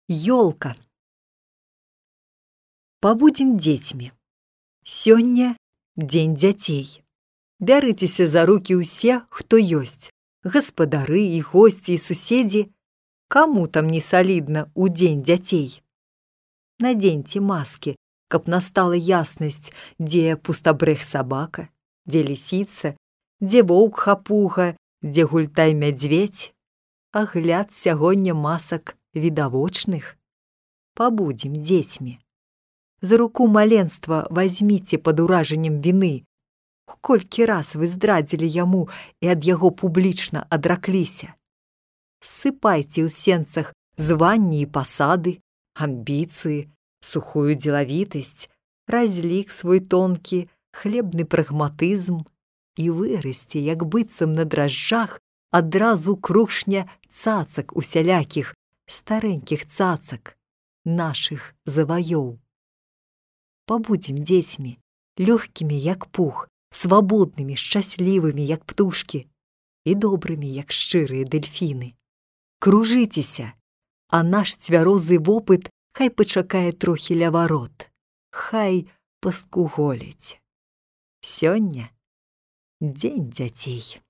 Ёлка. Пабудзем дзецьмі. Сёння дзень дзяцей. Бярыцеся за рукі ўсе, хто ёсць. Гаспадары і госці і суседзі. Каму там не салідна ў дзень дзяцей? Надзеньце маскі, каб настала яснасць, дзе пустабрэх сабака, дзе лісіца, дзе воўк хапуга, дзе гультай мядзведзь. Агляд сягоння масак відавочных. Пабудзем дзецьмі. За руку маленства вазьміце пад уражаннем віны. Колькі раз вы здрадзілі яму і ад яго публічна адракліся. Ссыпайце ў сенцах званні і пасады, амбіцыі, сухую дзелавітасць, разлік свой тонкі, хлебны прагматызм і вырасце, як быццам на дражджах, адразу крушня цацак усялякіх, старэнькіх цацак, нашых заваёў. Пабудзем дзецьмі, лёгкімі, як пух, свабоднымі, шчаслівымі, як птушкі, і добрымі, як шчырыя дэльфіны. Кружыцеся, а наш цвярозы вопыт хай пачакае трохі ля варот, хай паскуголіць. Сёння дзень дзяцей.